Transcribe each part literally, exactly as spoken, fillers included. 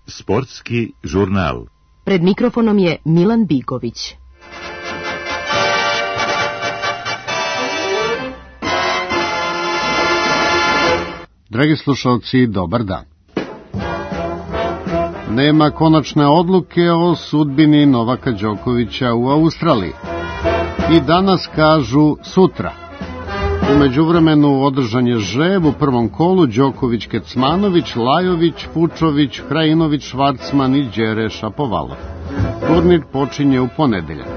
Sportski žurnal. Pred mikrofonom je Milan Bigović. Dragi slušalci, dobar dan. Nema konačne odluke o sudbini Novaka Đokovića u Australiji. I danas kažu sutra. U međuvremenu održan je žreb u prvom kolu Đoković, Kecmanović, Lajović, Fučović, Krajinović, Švarcman i Đere Šapovalov. Turnir počinje u ponedeljak.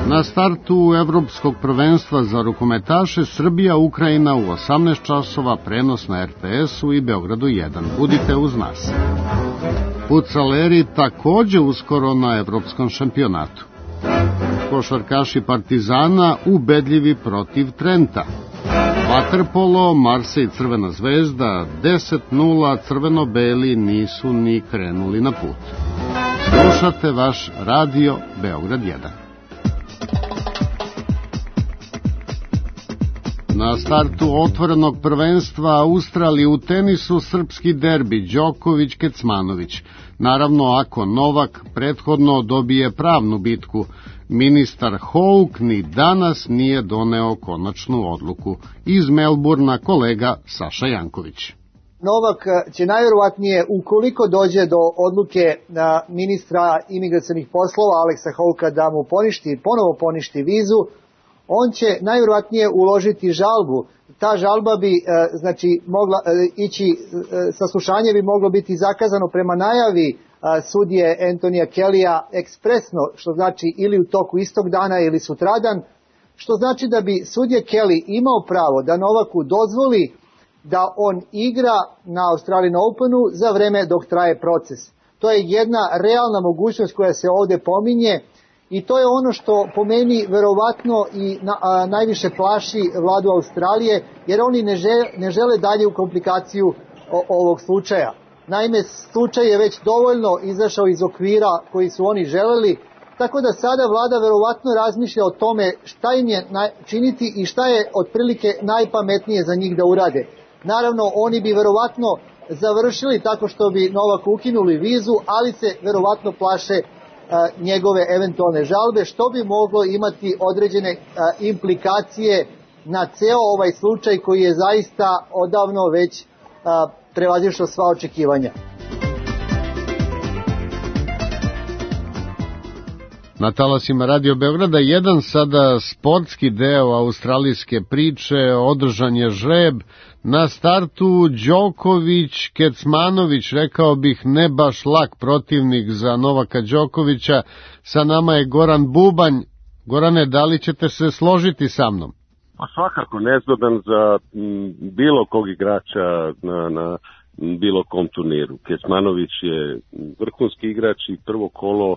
Na startu evropskog prvenstva za rukometaše Srbija Ukrajina u osamnaest časova, prenos na er te esu i Beogradu jedan. Budite uz nas. Fucaleri takođe uskoro na evropskom šampionatu. Košarkaši Partizana ubedljivi protiv Trenta. Vaterpolo, Marsej Crvena zvezda, deset nula, crveno-beli nisu ni krenuli na put. Slušate vaš radio Beograd jedan. Na startu otvorenog prvenstva Australije u tenisu srpski derbi Đoković-Kecmanović. Naravno, ako Novak prethodno dobije pravnu bitku, ministar Houck ni danas nije doneo konačnu odluku. Iz Melburna kolega Saša Janković. Novak će najverovatnije, ukoliko dođe do odluke na ministra imigracionih poslova Aleksa Houcka da mu poništi, ponovo poništi vizu, on će najverovatnije uložiti žalbu. Ta žalba bi znači mogla ići, saslušanje bi moglo biti zakazano prema najavi sudije Antonija Kellya ekspresno, što znači ili u toku istog dana ili sutradan, što znači da bi sudija Kelly imao pravo da Novaku dozvoli da on igra na Australian Openu za vreme dok traje proces. To je jedna realna mogućnost koja se ovde pominje i to je ono što po meni verovatno i na, a, najviše plaši vladu Australije, jer oni ne žele, ne žele dalje u komplikaciju o, ovog slučaja. Naime, slučaj je već dovoljno izašao iz okvira koji su oni želeli, tako da sada vlada verovatno razmišlja o tome šta im je činiti i šta je otprilike najpametnije za njih da urade. Naravno, oni bi verovatno završili tako što bi Novaku ukinuli vizu, ali se verovatno plaše a, njegove eventualne žalbe, što bi moglo imati određene a, implikacije na ceo ovaj slučaj koji je zaista odavno već a, prevazišao sva očekivanja. Na talasima Radio Beograda jedan sada sportski deo australijske priče, održan je žreb. Na startu Đoković, Kecmanović, rekao bih ne baš lak protivnik za Novaka Đokovića. Sa nama je Goran Bubanj. Gorane, da li ćete se složiti sa mnom? Pa svakako nezgodan za m, bilo kog igrača na, na bilo kom turniru. Kecmanović je vrhunski igrač i prvo kolo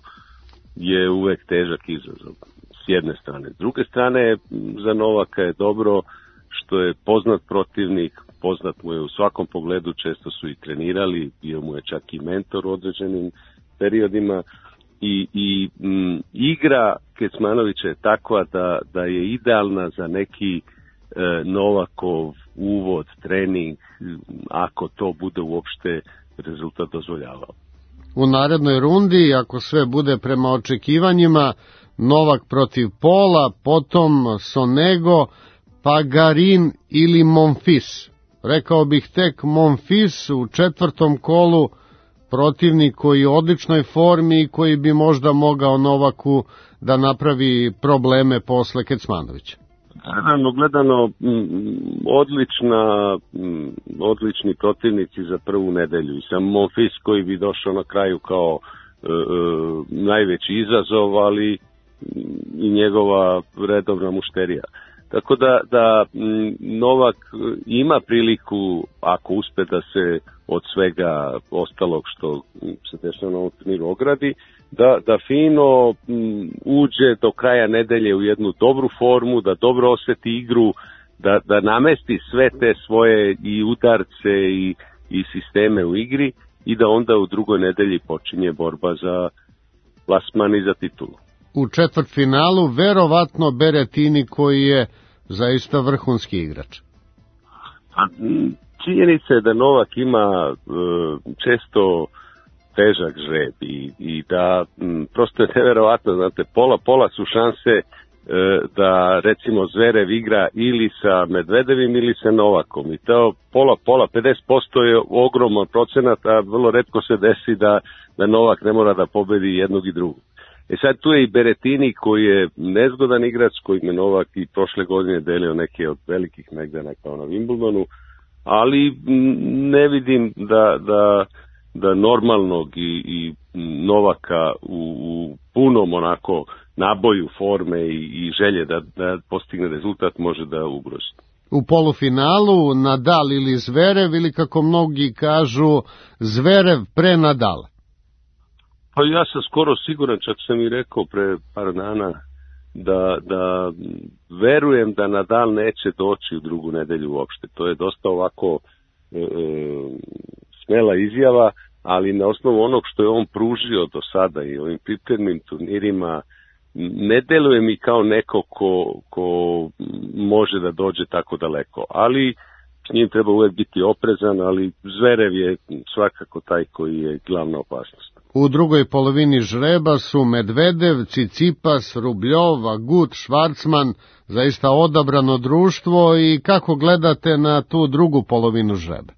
je uvek težak izazov s jedne strane. S druge strane, za Novaka je dobro što je poznat protivnik, poznat mu je u svakom pogledu, često su i trenirali, bio mu je čak i mentor u određenim periodima i, i m, igra Kecmanovića je takva da, da je idealna za neki e, Novakov uvod, trening, ako to bude uopšte rezultat dozvoljavao. U narednoj rundi, ako sve bude prema očekivanjima, Novak protiv Pola, potom Sonego, pa Garin ili Monfils. Rekao bih tek Monfils u četvrtom kolu, protivnik koji je u odličnoj formi i koji bi možda mogao Novaku da napravi probleme posle Kecmanovića. Naravno, gledano, odlična, odlični protivnici za prvu nedelju. I sam Monfils koji bi došao na kraju kao e, e, najveći izazov, ali i njegova redovna mušterija. Tako da, da Novak ima priliku, ako uspe da se od svega ostalog što se dešava na ovom turniru ogradi, da, da fino m, uđe do kraja nedelje u jednu dobru formu, da dobro oseti igru, da, da namesti sve te svoje i udarce i, i sisteme u igri i da onda u drugoj nedelji počinje borba za plasman i za titulu. U četvrtfinalu verovatno Berettini koji je zaista vrhunski igrač. A, činjenica je da Novak ima e, često težak žreb i, i da m, prosto je neverovatno, znate, pola pola su šanse e, da recimo Zverev igra ili sa Medvedevim ili sa Novakom i to pola pola, pedeset posto je ogroman procenat, a vrlo retko se desi da, da Novak ne mora da pobedi jednog i drugog. E sad tu je i Berettini koji je nezgodan igrač, koji je Novak i prošle godine delio neke od velikih megdana kao na Wimbledonu, ali ne vidim da, da, da normalnog i, i Novaka u, u punom onako naboju forme i, i želje da, da postigne rezultat može da ugrozi. U polufinalu Nadal ili Zverev ili kako mnogi kažu Zverev pre Nadala? Pa ja sam skoro siguran, čak sam i rekao pre par dana, da, da verujem da Nadal neće doći u drugu nedelju uopšte. To je dosta ovako e, smela izjava, ali na osnovu onog što je on pružio do sada i ovim pripremnim turnirima, ne deluje mi kao neko ko, ko može da dođe tako daleko. Ali s njim treba uvek biti oprezan, ali Zverev je svakako taj koji je glavna opasnost. U drugoj polovini žreba su Medvedev, Cicipas, Rubljov, Agut, Švarcman, zaista odabrano društvo i kako gledate na tu drugu polovinu žreba?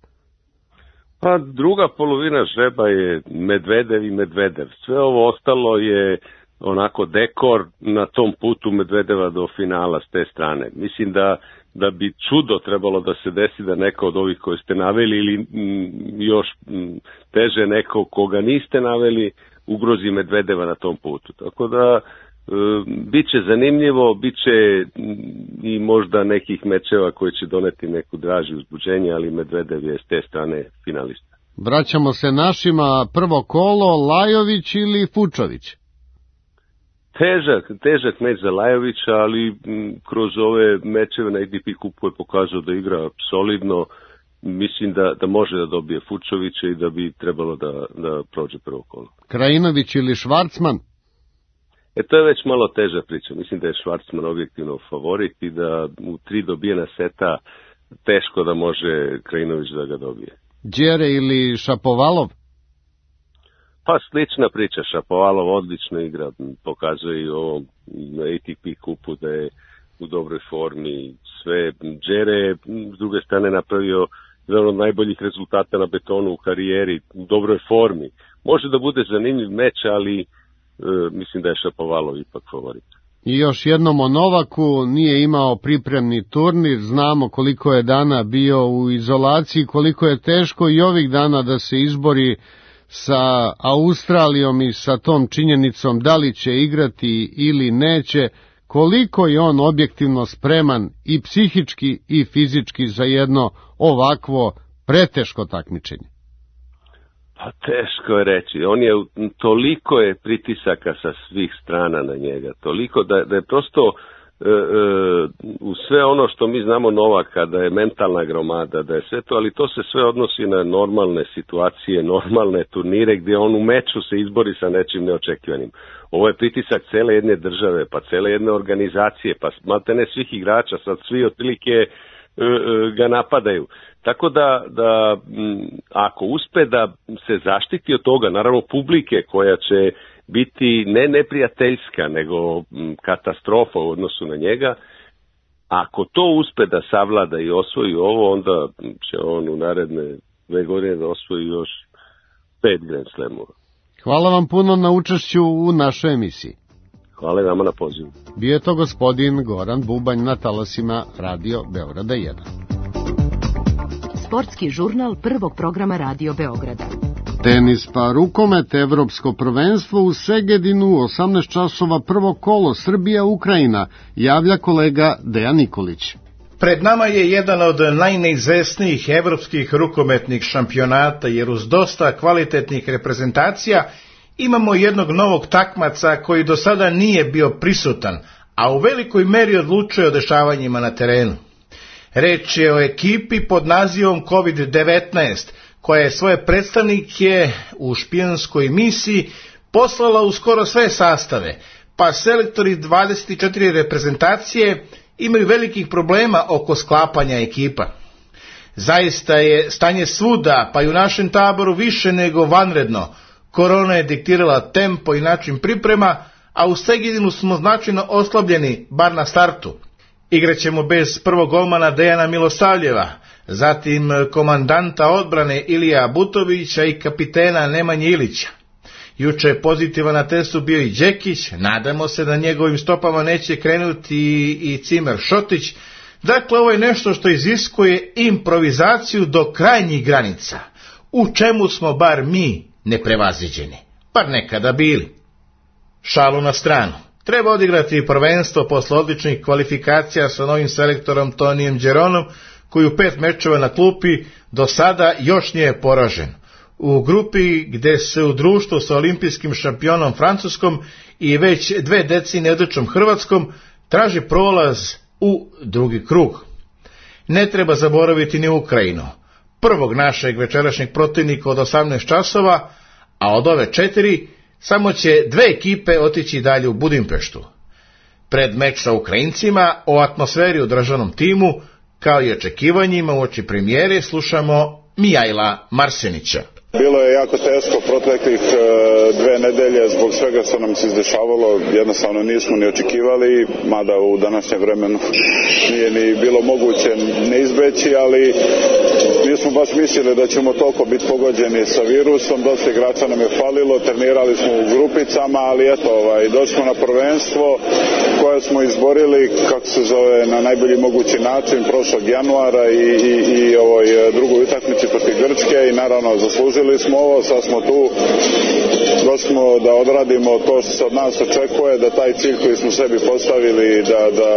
Pa druga polovina žreba je Medvedev i Medvedev. Sve ovo ostalo je onako dekor na tom putu Medvedeva do finala s te strane. Mislim da da bi čudo trebalo da se desi da neko od ovih koje ste naveli ili m, još m, teže neko koga niste naveli ugrozi Medvedeva na tom putu. Tako da e, bit će zanimljivo, bit će m, i možda nekih mečeva koji će doneti neku draži uzbuđenje, ali Medvedev je s te strane finalista. Vraćamo se našima, prvo kolo, Lajović ili Fučović? Težak, težak meč za Lajovića, ali m, kroz ove mečeve na A T P kupu je pokazao da igra solidno. Mislim da, da može da dobije Fučovića i da bi trebalo da, da prođe prvo kolo. Krajinović ili Švarcman? E, to je već malo teža priča. Mislim da je Švarcman objektivno favorit i da u tri dobijena seta teško da može Krajinović da ga dobije. Đere ili Šapovalov? Pa slična priča, Šapovalov odlično igra, pokazuje i ovo na A T P kupu da je u dobroj formi, sve. Đere je s druge strane napravio jedan od najboljih rezultata na betonu u karijeri, u dobroj formi. Može da bude zanimljiv meč, ali e, mislim da je Šapovalov ipak favorit. I još jednom o Novaku, nije imao pripremni turnir, znamo koliko je dana bio u izolaciji, koliko je teško i ovih dana da se izbori sa Australijom i sa tom činjenicom da li će igrati ili neće, koliko je on objektivno spreman i psihički i fizički za jedno ovakvo preteško takmičenje? Pa teško je reći. On je, toliko je pritisaka sa svih strana na njega, toliko da, da je prosto e, e, u sve ono što mi znamo Novaka, da je mentalna gromada, da je sve to, ali to se sve odnosi na normalne situacije, normalne turnire gdje on u meču se izbori sa nečim neočekivanim. Ovo je pritisak cele jedne države, pa cele jedne organizacije, pa maltene svih igrača, sad svi otprilike e, e, ga napadaju. Tako da, da m, ako uspe da se zaštiti od toga, naravno publike koja će biti ne neprijateljska, nego m, katastrofa u odnosu na njega, ako to uspe da savlada i osvoji ovo, onda će on u naredne dve godine da osvoji još pet Grand Slamova. Hvala vam puno na učešću u našoj emisiji. Hvala vama na pozivu. Bio je to gospodin Goran Bubanj na talasima Radio Beograda jedan. Sportski žurnal prvog programa Radio Beograda. Tenis pa rukomet, evropsko prvenstvo u Segedinu, osamnaest časova prvo kolo, Srbija-Ukrajina, javlja kolega Dejan Nikolić. Pred nama je jedan od najneizvesnijih evropskih rukometnih šampionata, jer uz dosta kvalitetnih reprezentacija imamo jednog novog takmaca koji do sada nije bio prisutan, a u velikoj meri odlučuje o dešavanjima na terenu. Reč je o ekipi pod nazivom kovid devetnaest, koja je svoje predstavnike u špijonskoj misiji poslala u skoro sve sastave, pa selektori dvadeset četiri reprezentacije imaju velikih problema oko sklapanja ekipa. Zaista je stanje svuda, pa i u našem taboru, više nego vanredno. Korona je diktirala tempo i način priprema, a u Segedinu smo značajno oslabljeni, bar na startu. Igraćemo bez prvog golmana Dejana Milosavljeva, zatim komandanta odbrane Ilija Butovića i kapitena Nemanje Ilića. Juče je pozitivan na testu bio i Đekić, nadamo se da njegovim stopama neće krenuti i Cimer Šotić. Dakle, ovo je nešto što iziskuje improvizaciju do krajnjih granica, u čemu smo bar mi neprevaziđeni, bar nekada bili. Šalu na stranu. Treba odigrati prvenstvo posle odličnih kvalifikacija sa novim selektorom Tonijem Đeronom, koji u pet mečeva na klupi do sada još nije poražen. U grupi gde se u društvu sa olimpijskim šampionom Francuskom i već dve decenije odličnom Hrvatskom traži prolaz u drugi krug. Ne treba zaboraviti ni Ukrajinu, prvog našeg večerašnjeg protivnika od osamnaest časova, a od ove četiri samo će dve ekipe otići dalje u Budimpeštu. Pred meč sa Ukrajincima o atmosferi u državnom timu, kao i očekivanjima uoči premijere, slušamo Mijajla Marsenića. Bilo je jako teško proteklih e, dve nedelje zbog svega što nam se izdešavalo, jednostavno nismo ni očekivali, mada u današnjem vremenu nije ni bilo moguće ne izbeći, ali nismo baš mislili da ćemo toliko biti pogođeni sa virusom, dosta igrača nam je falilo, trenirali smo u grupicama, ali eto, ovaj, došli smo na prvenstvo koje smo izborili, kako se zove, na najbolji mogući način prošlog januara i, i, i ovoj drugoj utakmici protiv Grčke i naravno zaslužili smo ovo, sad smo tu, došli smo da odradimo to što se od nas očekuje, da taj cilj koji smo sebi postavili, da, da,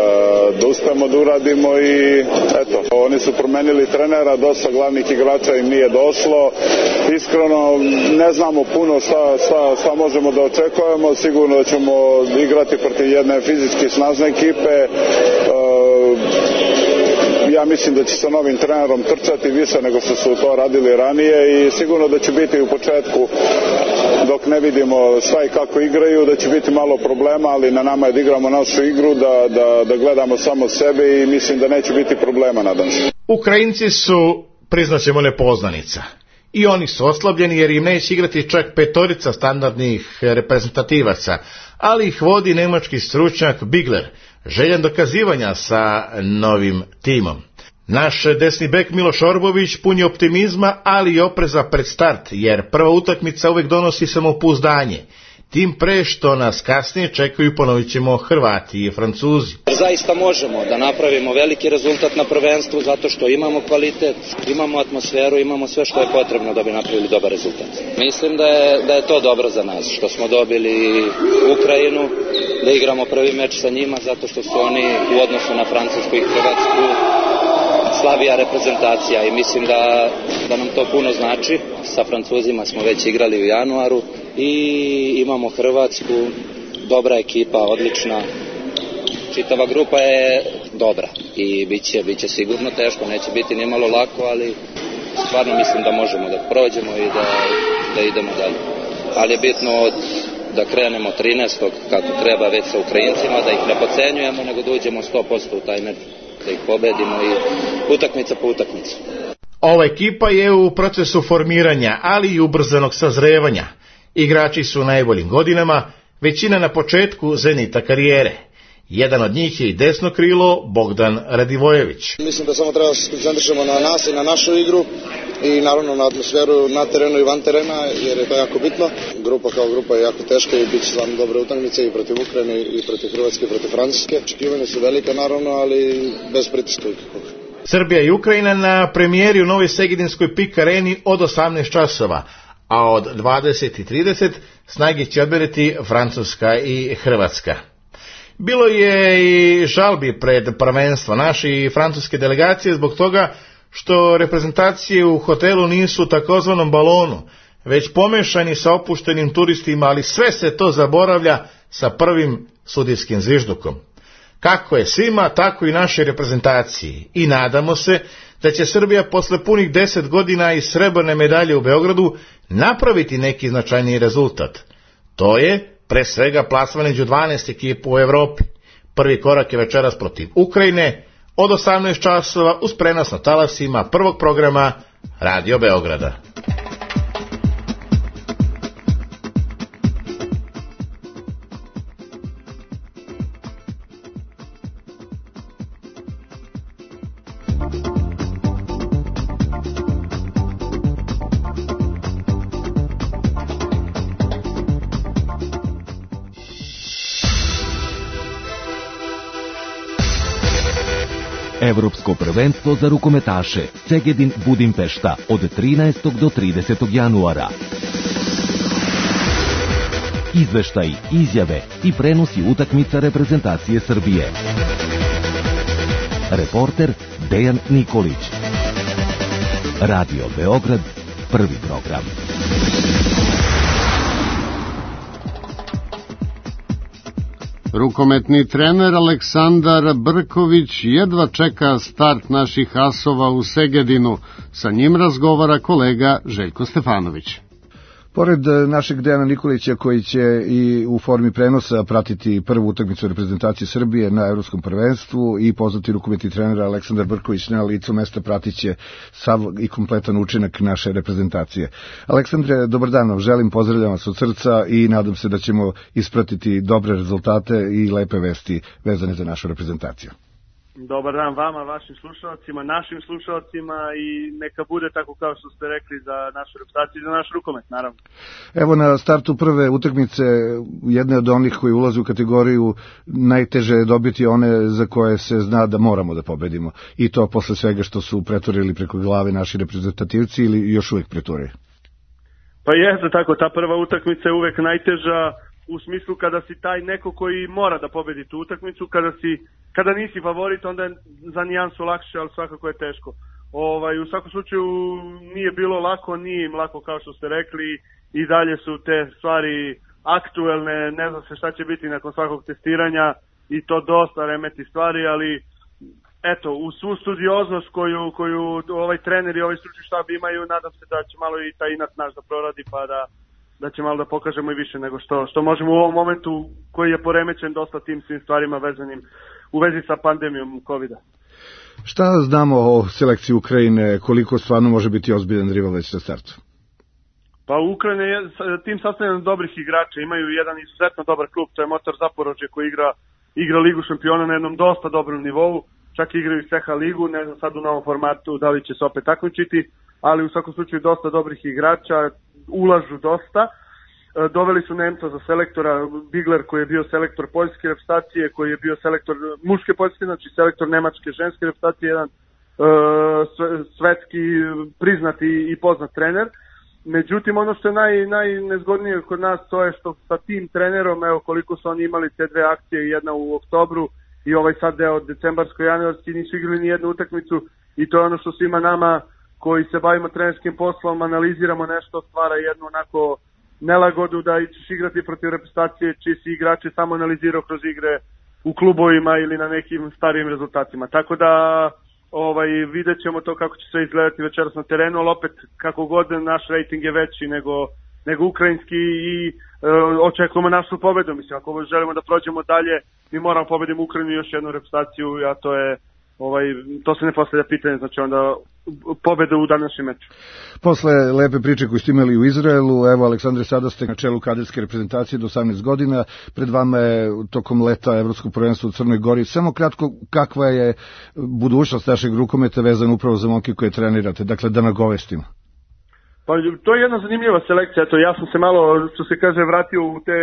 da uspemo da uradimo i eto, oni su promenili trenera, dosta glavnih igrača im nije došlo, iskreno ne znamo puno šta, šta, šta možemo da očekujemo, sigurno da ćemo igrati protiv jedne fizički snažne ekipe, uh, ja mislim da će sa novim trenerom trčati više nego što su to radili ranije i sigurno da će biti u početku, dok ne vidimo šta i kako igraju, da će biti malo problema, ali na nama je da igramo našu igru, da, da, da gledamo samo sebe i mislim da neće biti problema, nadam se. Ukrajinci su, priznaćemo, nepoznanica. I oni su oslabljeni jer im neće igrati čak petorica standardnih reprezentativaca, ali ih vodi nemački stručnjak Bigler, željan dokazivanja sa novim timom. Naš desni bek Miloš Orbović pun je optimizma, ali i opreza pred start, jer prva utakmica uvek donosi samopouzdanje. Tim pre što nas kasnije čekaju, ponovit ćemo, Hrvati i Francuzi. Zaista možemo da napravimo veliki rezultat na prvenstvu zato što imamo kvalitet, imamo atmosferu, imamo sve što je potrebno da bi napravili dobar rezultat. Mislim da je, da je to dobro za nas, što smo dobili Ukrajinu, da igramo prvi meč sa njima zato što su oni u odnosu na Francusku i Hrvatsku slabija reprezentacija i mislim da, da nam to puno znači. Sa Francuzima smo već igrali u januaru i imamo Hrvatsku, dobra ekipa, odlična. Čitava grupa je dobra i bit će, bit će sigurno teško, neće biti ni malo lako, ali stvarno mislim da možemo da prođemo i da, da idemo dalje. Ali je bitno od, da krenemo trinaestog kako treba već sa Ukrajincima, da ih ne podcenjujemo, nego da uđemo sto posto u taj meč, da ih pobedimo i utakmica po utakmicu. Ova ekipa je u procesu formiranja, ali i ubrzanog sazrevanja. Igrači su u najboljim godinama, većina na početku zenita karijere. Jedan od njih je i desno krilo Bogdan Radivojević. Mislim da samo treba da se koncentrišemo na nas i na našu igru i naravno na atmosferu na terenu i van terena, jer je to jako bitno. Grupa kao grupa je jako teška i bit će stvarno dobre utakmice i protiv Ukrajine i protiv Hrvatske i protiv Francuske. Očekivanja su velika naravno, ali bez pritiska. Srbija i Ukrajina na premijeri u Novoj Segedinskoj Pik Areni od osamnaest časova, a od dvadeset i trideset snage će odmeriti Francuska i Hrvatska. Bilo je i žalbi pred prvenstvo naše i francuske delegacije zbog toga što reprezentacije u hotelu nisu u takozvanom balonu, već pomešani sa opuštenim turistima, ali sve se to zaboravlja sa prvim sudijskim zviždukom. Kako je svima, tako i našoj reprezentaciji. I nadamo se da će Srbija posle punih deset godina i srebrne medalje u Beogradu napraviti neki značajniji rezultat. To je pre svega plasman među dvanaest ekipa u Evropi. Prvi korak je večeras protiv Ukrajine, od osamnaest časova uz prenos na talasima prvog programa Radio Beograda. Evropsko prvenstvo za rukometaše Segedin Budimpešta od trinaestog do tridesetog januara. Izveštaji, izjave i prenosi utakmica reprezentacije Srbije. Reporter Dejan Nikolić. Radio Beograd, prvi program. Rukometni trener Aleksandar Brković jedva čeka start naših asova u Segedinu. Sa njim razgovara kolega Željko Stefanović. Pored našeg Dejana Nikolića koji će i u formi prenosa pratiti prvu utakmicu reprezentacije Srbije na Evropskom prvenstvu i poznati rukometni trener Aleksandar Brković na licu mesta pratit će sav i kompletan učinak naše reprezentacije. Aleksandre, dobar dan vam želim, pozdravljam vas od srca i nadam se da ćemo ispratiti dobre rezultate i lepe vesti vezane za našu reprezentaciju. Dobar dan vama, vašim slušalcima, našim slušalcima i neka bude tako kao što ste rekli za našu reprezentaciju i za naš rukomet, naravno. Evo na startu prve utakmice, jedne od onih koji ulaze u kategoriju najteže je dobiti one za koje se zna da moramo da pobedimo. I to posle svega što su preturili preko glave naši reprezentativci ili još uvek preturaju. Pa jeste tako, ta prva utakmica je uvek najteža u smislu kada si taj neko koji mora da pobedi tu utakmicu, kada si kada nisi favorit, onda je za nijansu lakše, ali svakako je teško. Ovaj, u svakom slučaju nije bilo lako, nije im lako kao što ste rekli, i dalje su te stvari aktuelne, ne zna se šta će biti nakon svakog testiranja i to dosta remeti stvari, ali eto, u svu studioznost koju, koju ovaj trener i ovaj stručni štab imaju, nadam se da će malo i taj inat naš da proradi, pa da da će malo da pokažemo i više nego što, što možemo u ovom momentu koji je poremećen dosta tim svim stvarima vezanim u vezi sa pandemijom kovida. Šta znamo o selekciji Ukrajine, koliko stvarno može biti ozbiljan rival već na startu? Pa Ukrajina je tim sastavljen dobrih igrača, imaju jedan izuzetno dobar klub, to je Motor Zaporožje koji igra, igra Ligu šampiona na jednom dosta dobrom nivou, čak igraju i C H ligu, ne znam sad u novom formatu da li će se opet takmičiti, ali u svakom slučaju dosta dobrih igrača, ulažu dosta. Doveli su Nemca za selektora, Bigler koji je bio selektor poljske reprezentacije, koji je bio selektor muške poljske, znači selektor nemačke ženske reprezentacije, jedan uh, svetski priznati i poznat trener. Međutim, ono što je naj, najnezgodnije kod nas, to je što sa tim trenerom, evo koliko su oni imali te dve akcije, jedna u oktobru i ovaj sad deo decembarsko-januarski, nisu igrali ni jednu utakmicu, i to je ono što svima nama koji se bavimo trenerskim poslom, analiziramo nešto, stvara jednu onako nelagodu da ćeš igrati protiv reprezentacije čiji si igrači samo analizirao kroz igre u klubovima ili na nekim starijim rezultatima. Tako da ovaj, vidjet ćemo to kako će sve izgledati večeras na terenu, ali opet kako god naš rating je veći nego, nego ukrajinski i e, očekujemo našu pobedu. Mislim, ako želimo da prođemo dalje, mi moramo pobediti Ukrajinu i još jednu reprezentaciju, a to je Ovaj, to se ne postavlja pitanje, znači onda pobeda u današnjem meču. Posle lepe priče koju ste imali u Izraelu, evo Aleksandre, sada ste na čelu kaderske reprezentacije do osamnaest godina, pred vama je tokom leta Evropskog prvenstva u Crnoj Gori. Samo kratko, kakva je budućnost našeg rukometa vezana upravo za momke koje trenirate, dakle da nagovestimo? Pa to je jedna zanimljiva selekcija, eto ja sam se malo, što se kaže, vratio u te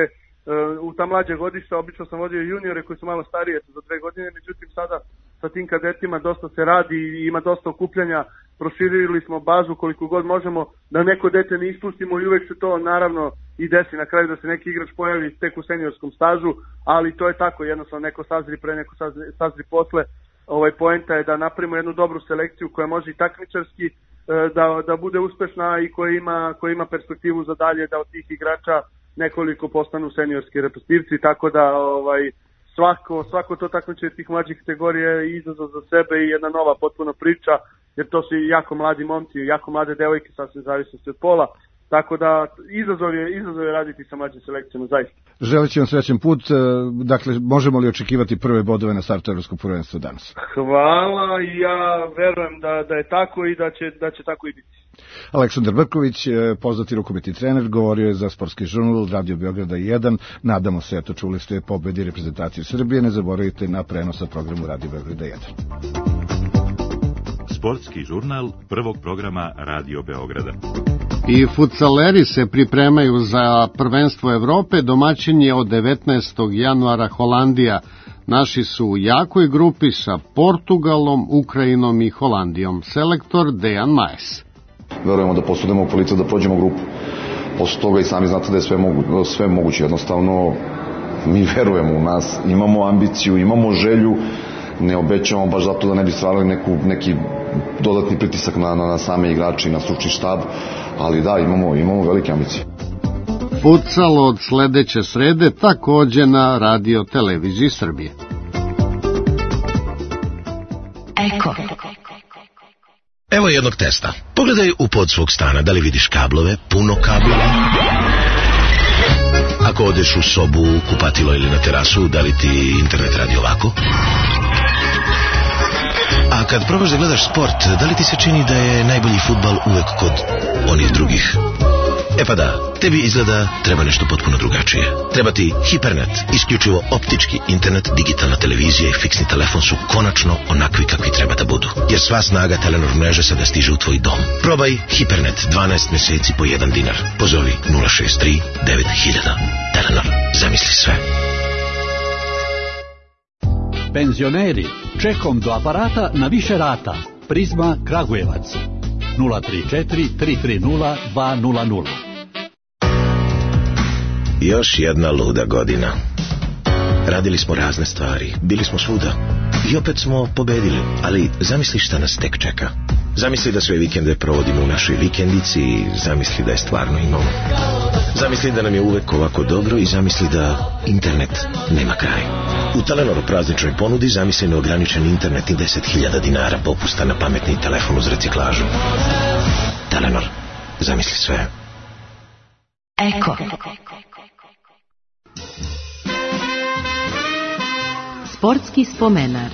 u ta mlađa godišta, obično sam vodio juniore koji su malo starije, za dve godine, međutim sada sa tim kadetima dosta se radi i ima dosta okupljanja, proširili smo bazu koliko god možemo, da neko dete ne ispustimo i uvek se to naravno i desi na kraju da se neki igrač pojavi tek u seniorskom stažu, ali to je tako, jednostavno neko sazri pre, neko sazri, sazri posle. Ovaj poenta je da napravimo jednu dobru selekciju koja može i takmičarski da, da bude uspešna i koja ima, koja ima perspektivu za dalje, da od tih igrača nekoliko postanu seniorski reprezentativci, tako da ovaj, svako, svako to takmičenje tih mlađih kategorija je izazov za sebe i jedna nova potpuno priča, jer to su jako mladi momci, jako mlade devojke, sasvim zavisnosti od pola, tako da izazov je, izazov je raditi sa mlađim selekcijama, zaista. Želit ću vam srećan put, dakle, možemo li očekivati prve bodove na startu Evropskog prvenstva danas? Hvala i ja verujem da, da je tako i da će, da će tako i biti. Aleksandar Brković, poznati rukometni trener, govorio je za Sportski žurnal Radio Beograda jedan. Nadamo se, eto, čuli ste pobedi reprezentacije Srbije. Ne zaboravite na prenos sa programu Radio Beograda jedan. Sportski žurnal prvog programa Radio Beograda. I fudsaleri se pripremaju za prvenstvo Evrope. Domaćin je od devetnaestog januara Holandija. Naši su u jakoj grupi sa Portugalom, Ukrajinom i Holandijom. Selektor Dejan Majes. Verujemo da posudimo u policu da prođemo grupu. Posle toga i sami znate da je sve, mogu, sve moguće. Jednostavno, mi verujemo u nas, imamo ambiciju, imamo želju, ne obećamo baš zato da ne bi stvarali neku, neki dodatni pritisak na, na, na same igrače i na stručni štab, ali da, imamo, imamo velike ambicije. Futsal od sledeće srede takođe na Radio Televiziji Srbije. Eko. Evo jednog testa. Pogledaj u pod svog stana, da li vidiš kablove, puno kablova. Ako odeš u sobu, kupatilo ili na terasu, da li ti internet radi ovako? A kad probaš da gledaš sport, da li ti se čini da je najbolji fudbal uvek kod onih drugih? E pa da, tebi izgleda treba nešto potpuno drugačije. Treba ti Hipernet, isključivo optički internet, digitalna televizija i fiksni telefon su konačno onakvi kakvi treba da budu. Jer sva snaga Telenor mreže sada stiže u tvoj dom. Probaj Hipernet dvanaest meseci po jedan dinar. Pozovi nula šest tri devet hiljada. Telenor, zamisli sve. Penzioneri, čekom do aparata na više rata. Prizma Kragujevac. nula tri četiri tri tri nula dva nula nula. Još jedna luda godina. Radili smo razne stvari, bili smo svuda i opet smo pobedili, ali zamisli šta nas tek čeka. Zamisli da sve vikende provodimo u našoj vikendici i zamisli da je stvarno imamo. Zamisli da nam je uvek ovako dobro i zamisli da internet nema kraj. U Telenoru prazničnoj ponudi zamisli neograničen internet i deset hiljada dinara popusta na pametni telefon uz reciklažu. Telenor, zamisli sve. Eko. Sportski spomenar.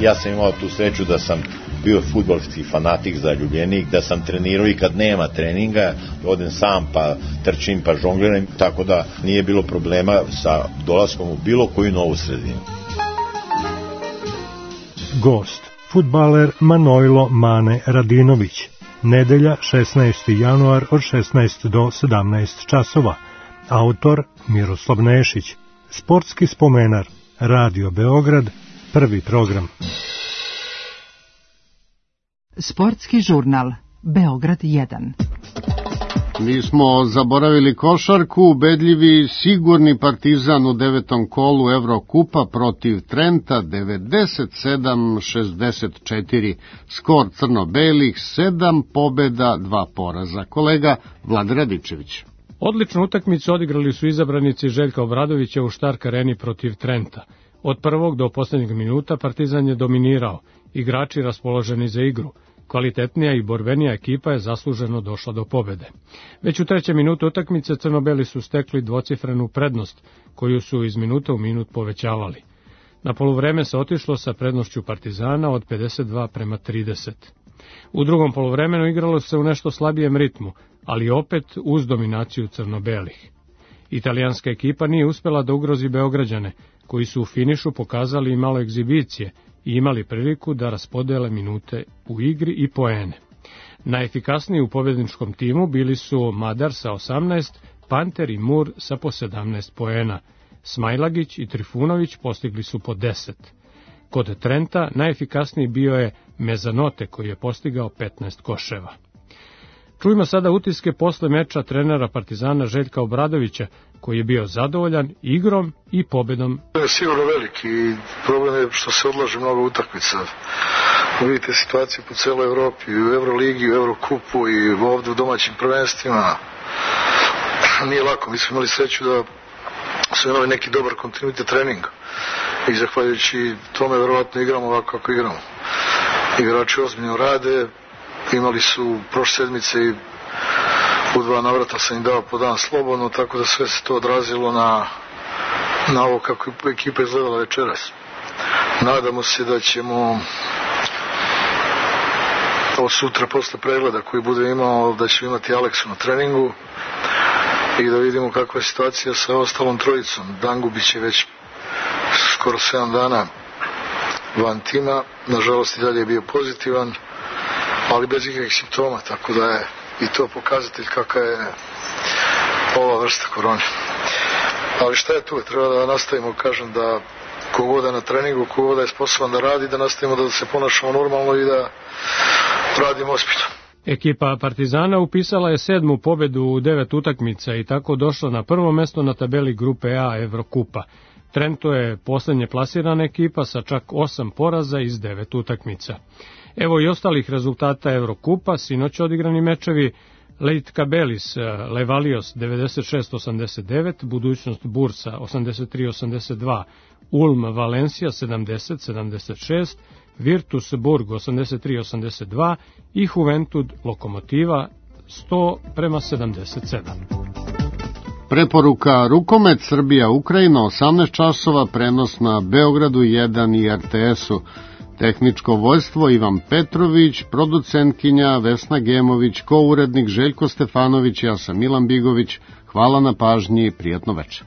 Ja sam imao tu sreću da sam bio fudbalski fanatik, zaljubljenik, da sam trenirao i kad nema treninga, odem sam pa trčim pa žongliram, tako da nije bilo problema sa dolaskom u bilo koju novu sredinu. Gost, fudbaler Manojlo Mane Radinović. Nedelja šesnaesti januar od šesnaest do sedamnaest časova. Autor Miroslav Nešić. Sportski spomenar. Radio Beograd, prvi program. Sportski žurnal Beograd jedan. Mi smo zaboravili košarku, ubedljivi sigurni Partizan u devetom kolu Evrokupa protiv Trenta devedeset sedam šezdeset četiri. Skor crno-belih sedam pobeda, dva poraza. Kolega Vlad Radičević. Odličnu utakmicu odigrali su izabranici Željka Obradovića u Stark Areni protiv Trenta. Od prvog do poslednjeg minuta Partizan je dominirao, igrači raspoloženi za igru. Kvalitetnija i borbenija ekipa je zasluženo došla do pobede. Već u trećem minutu utakmice crno-beli su stekli dvocifrenu prednost, koju su iz minuta u minut povećavali. Na poluvreme se otišlo sa prednošću Partizana od pedeset dva prema trideset. U drugom poluvremenu igralo se u nešto slabijem ritmu, ali opet uz dominaciju crno-belih. Italijanska ekipa nije uspela da ugrozi Beograđane, koji su u finišu pokazali i malo egzibicije i imali priliku da raspodele minute u igri i poene. Najefikasniji u pobedničkom timu bili su Madar sa osamnaest, Panter i Mur sa po sedamnaest poena. Smajlagić i Trifunović postigli su po deset. Kod Trenta najefikasniji bio je Mezanote koji je postigao petnaest koševa. Čujmo sada utiske posle meča trenera Partizana Željka Obradovića, koji je bio zadovoljan igrom i pobedom. To je sigurno veliki problem je što se odlaže mnogo utakmica. Vidite situaciju po celoj Evropi, u Euroligi, u Eurokupu i ovde u domaćim prvenstvima. Nije lako, mi smo imali sreću da su imali neki dobar kontinuitet treninga i zahvaljujući tome verovatno igramo ovako kako igramo. Igrači ozbiljno rade, imali su prošle sedmice i u dva navrata sam im dao po dan slobodno, tako da sve se to odrazilo na, na ovo kako je ekipa izgledala večeras. Nadamo se da ćemo od sutra posle pregleda koji bude imao, da ćemo imati Aleksu na treningu i da vidimo kakva je situacija sa ostalom trojicom. Dangubić je već skoro sedam dana van tima, nažalost i dalje je bio pozitivan, ali bez ikakvih simptoma, tako da je i to pokazatelj kakva je ova vrsta korone. Ali šta je tu? Treba da nastavimo, kažem, da kogoda je na treningu, kogoda je sposoban da radi, da nastavimo da se ponašamo normalno i da radimo ozbiljno. Ekipa Partizana upisala je sedmu pobedu u devet utakmica i tako došla na prvo mesto na tabeli grupe A Evrokupa. Trento je poslednje plasirana ekipa sa čak osam poraza iz devet utakmica. Evo i ostalih rezultata Evrokupa, sinoć odigrani mečevi: Lietkabelis Levalios devedeset šest osamdeset devet, Budućnost Bursa osamdeset tri osamdeset dva, Ulm Valencija sedamdeset sedamdeset šest, Virtus Burg osamdeset tri osamdeset dva i Juventud Lokomotiva sto prema sedamdeset sedam. Preporuka rukomet Srbija-Ukrajina, osamnaest časova, prenos na Beogradu jedan i R T S-u. Tehničko vođstvo Ivan Petrović, producentkinja Vesna Gemović, kourednik Željko Stefanović, ja sam Milan Bigović. Hvala na pažnji i prijatno večer.